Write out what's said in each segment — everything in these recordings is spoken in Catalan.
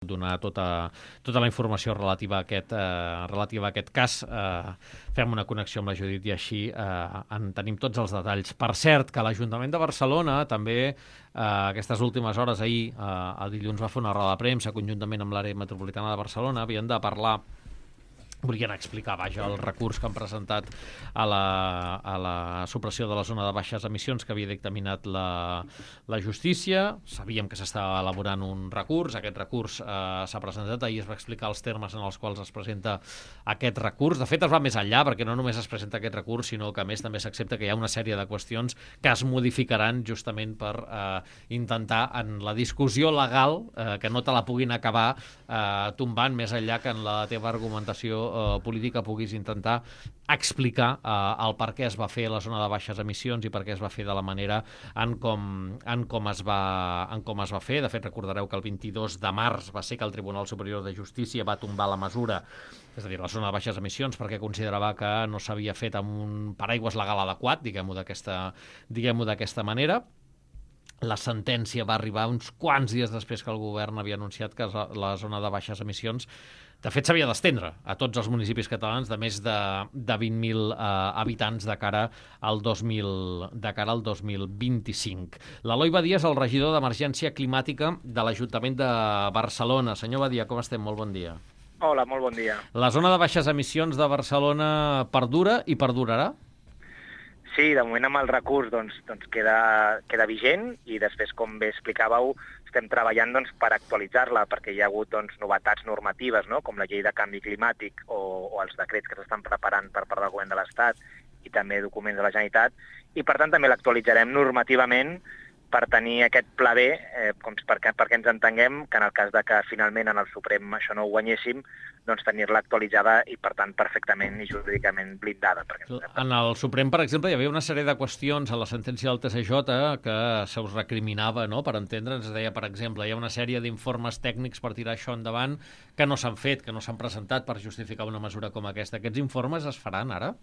donar tota la informació relativa a aquest cas. Fem una connexió amb la Judit i així en tenim tots els detalls. Per cert, que l'Ajuntament de Barcelona també aquestes últimes hores, ahir, el dilluns, va fer una roda de premsa conjuntament amb l'àrea metropolitana de Barcelona. Havien de parlar, volien explicar, el recurs que han presentat a la supressió de la zona de baixes emissions que havia dictaminat la justícia. Sabíem que s'estava elaborant un recurs. Aquest recurs s'ha presentat. Ahir es va explicar els termes en els quals es presenta aquest recurs. De fet, es va més enllà, perquè no només es presenta aquest recurs, sinó que a més també s'accepta que hi ha una sèrie de qüestions que es modificaran justament per intentar, en la discussió legal, que no te la puguin acabar tombant, més enllà que en la teva argumentació política puguis intentar explicar el per què es va fer la zona de baixes emissions i per què es va fer de la manera en com es va fer. De fet, recordareu que el 22 de març va ser que el Tribunal Superior de Justícia va tombar la mesura, és a dir, la zona de baixes emissions, perquè considerava que no s'havia fet amb un paraigües legal adequat, diguem-ho d'aquesta manera. La sentència va arribar uns quants dies després que el govern havia anunciat que la zona de baixes emissions, de fet, s'havia d'estendre a tots els municipis catalans de més de 20.000 habitants de cara al 2025. L'Eloi Badia és el regidor d'Emergència Climàtica de l'Ajuntament de Barcelona. Senyor Badia, com estem? Molt bon dia. Hola, molt bon dia. La zona de baixes emissions de Barcelona perdura i perdurarà? Sí, de moment amb el recurs queda vigent i després, com bé explicàveu, estem treballant per actualitzar-la perquè hi ha hagut novetats normatives, no? Com la llei de canvi climàtic o els decrets que s'estan preparant per part del govern de l'Estat i també documents de la Generalitat, i per tant també l'actualitzarem normativament per tenir aquest pla B, perquè ens entenguem que en el cas de que finalment en el Suprem això no ho guanyéssim, tenir-la actualitzada i, per tant, perfectament i jurídicament blindada. En el Suprem, per exemple, hi havia una sèrie de qüestions a la sentència del TSJ que se us recriminava, no?, per entendre'ns. Es deia, per exemple, hi ha una sèrie d'informes tècnics per tirar això endavant que no s'han fet, que no s'han presentat per justificar una mesura com aquesta. Aquests informes es faran ara?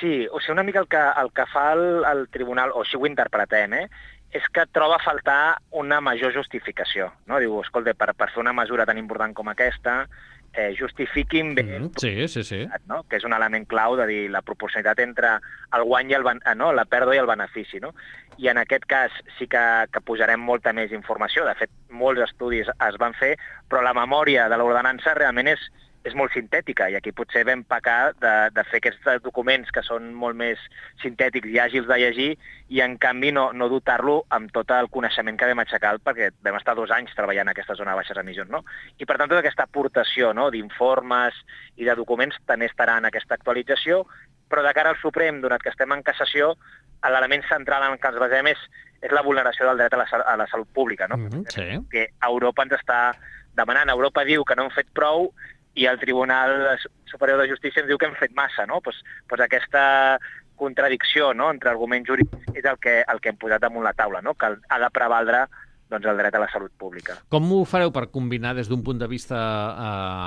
Sí, o sigui, una mica el que fa el tribunal, o així ho interpretem, és que troba a faltar una major justificació. No? Diu, escolta, per fer una mesura tan important com aquesta, justifiquin bé no? Que és un element clau de dir la proporcionalitat entre el guany i la pèrdua i el benefici. No? I en aquest cas sí que posarem molta més informació. De fet, molts estudis es van fer, però la memòria de l'ordenança realment és molt sintètica, i aquí potser vam pecar de fer aquests documents que són molt més sintètics i àgils de llegir, i en canvi no dotar-lo amb tot el coneixement que vam aixecar, perquè vam estar 2 anys treballant en aquesta zona de baixes emissions. No? I per tant, tota aquesta aportació d'informes i de documents també estarà en aquesta actualització, però de cara al Suprem, donat que estem en cassació, l'element central en què ens basem és la vulneració del dret a la salut pública. No? Sí. Que Europa ens està demanant. Europa diu que no hem fet prou, i el Tribunal Superior de Justícia ens diu que hem fet massa, no? Pues aquesta contradicció, no?, entre arguments jurídics és el que hem posat damunt la taula, no?, que ha de prevaldre el dret a la salut pública. Com ho fareu per combinar des d'un punt de vista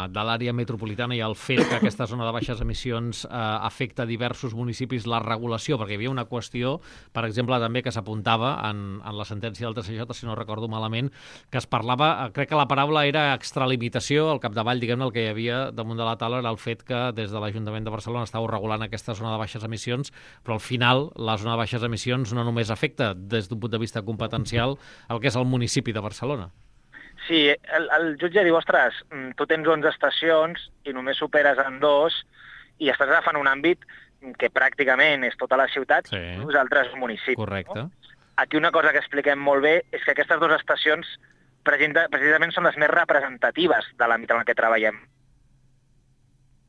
de l'àrea metropolitana i el fet que aquesta zona de baixes emissions afecta diversos municipis, la regulació? Perquè hi havia una qüestió, per exemple, també que s'apuntava en la sentència del TSJ, si no recordo malament, que es parlava, crec que la paraula era extralimitació, al capdavall, diguem-ne, el que hi havia damunt de la taula era el fet que des de l'Ajuntament de Barcelona estàveu regulant aquesta zona de baixes emissions, però al final la zona de baixes emissions no només afecta des d'un punt de vista competencial el que és el municipi de Barcelona. Sí, el jutge diu, ostres, tu tens 11 estacions i només superes en 2 i estàs agafant un àmbit que pràcticament és tota la ciutat i uns altres municipis. Correcte. No? Aquí una cosa que expliquem molt bé és que aquestes 2 estacions precisament són les més representatives de l'àmbit en què treballem.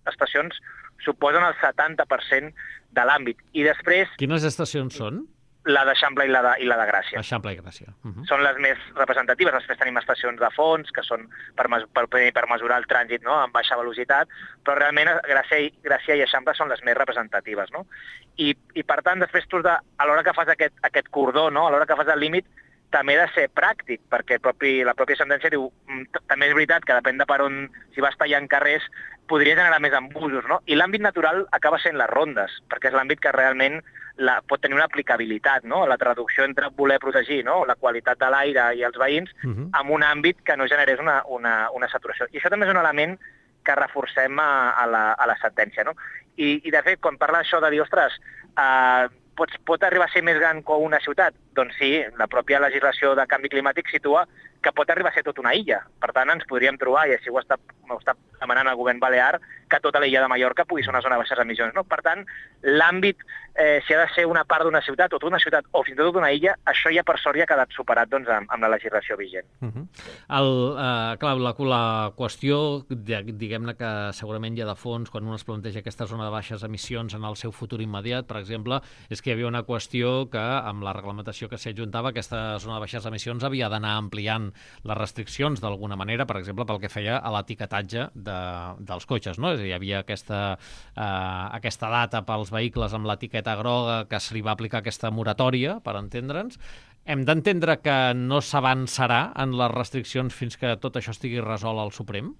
Les estacions suposen el 70% de l'àmbit. I després... Quines estacions són? La d'Eixample i la de Gràcia. Eixample i Gràcia. Són les més representatives. Després tenim estacions de fons, que són per mesurar el trànsit, no?, amb baixa velocitat, però realment Gràcia i Eixample són les més representatives. No? I per tant, després tu, a l'hora que fas aquest cordó, no?, a l'hora que fas el límit, també ha de ser pràctic, perquè la pròpia sentència diu també és veritat que depèn de per on, si vas tallant carrers, podria generar més embusos, no? I l'àmbit natural acaba sent les rondes, perquè és l'àmbit que realment pot tenir una aplicabilitat, no? La traducció entre voler protegir, no? La qualitat de l'aire i els veïns en un àmbit que no generés una saturació. I això també és un element que reforcem a la sentència, no? I de fet, quan parla això de dir, ostres, pot arribar a ser més gran que una ciutat? Doncs sí, la pròpia legislació de canvi climàtic situa que pot arribar a ser tota una illa. Per tant, ens podríem trobar, i així ho està demanant el govern balear, que tota l'illa de Mallorca pugui ser una zona de baixes emissions. No? Per tant, l'àmbit, si ha de ser una part d'una ciutat, o tota una ciutat, o fins i tot una illa, això ja per sort ja ha quedat superat doncs, amb la legislació vigent. Clar, la qüestió, diguem-ne que segurament ja de fons, quan un es planteja aquesta zona de baixes emissions en el seu futur immediat, per exemple, és que hi havia una qüestió que amb la reglamentació que s'hi adjuntava, aquesta zona de baixes emissions havia d'anar ampliant les restriccions d'alguna manera, per exemple, pel que feia a l'etiquetatge dels cotxes, no? És a dir, hi havia aquesta data pels vehicles amb l'etiqueta groga que se li va aplicar aquesta moratòria, per entendre'ns. Hem d'entendre que no s'avançarà en les restriccions fins que tot això estigui resolt al Suprem?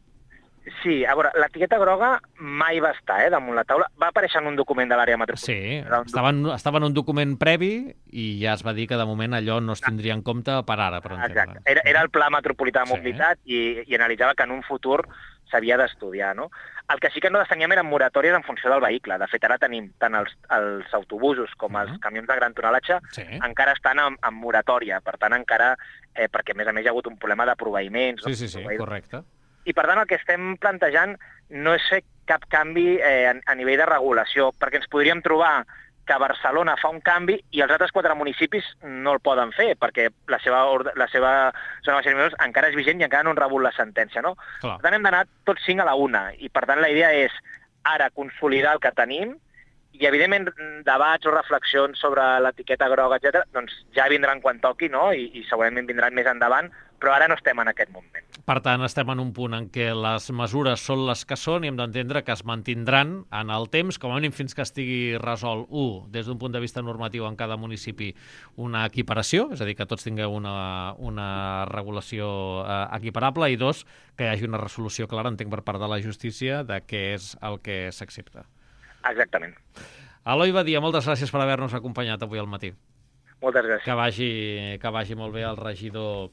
Sí, a veure, l'etiqueta groga mai va estar damunt la taula. Va aparèixer en un document de l'àrea metropolitana. Sí, estava en un document previ i ja es va dir que de moment allò no es tindria en compte per ara, per entendre. Exacte. Era el Pla Metropolità de Mobilitat i analitzava que en un futur s'havia d'estudiar, no? El que sí que no teníem eren moratòries en funció del vehicle. De fet, ara tenim tant els autobusos com els camions de gran tonalatge encara estan en moratòria. Per tant, encara, perquè a més hi ha hagut un problema de proveïments. Sí, correcte. I, per tant, el que estem plantejant no és fer cap canvi a nivell de regulació, perquè ens podríem trobar que Barcelona fa un canvi i els altres 4 municipis no el poden fer, perquè la seva zona de baixes encara és vigent i encara no han rebut la sentència, no? Per tant, hem d'anar tots 5 a la una, i per tant la idea és ara consolidar el que tenim i, evidentment, debats o reflexions sobre l'etiqueta groga, etc., doncs ja vindran quan toqui, no? I segurament vindran més endavant, però ara no estem en aquest moment. Per tant, estem en un punt en què les mesures són les que són i hem d'entendre que es mantindran en el temps, com a mínim fins que estigui resolt, des d'un punt de vista normatiu en cada municipi, una equiparació, és a dir, que tots tingueu una regulació equiparable, i 2, que hi hagi una resolució clara, entenc, per part de la justícia de què és el que s'accepta. Exactament. Eloi Badia, moltes gràcies per haver-nos acompanyat avui al matí. Moltes gràcies. Que vagi molt bé el regidor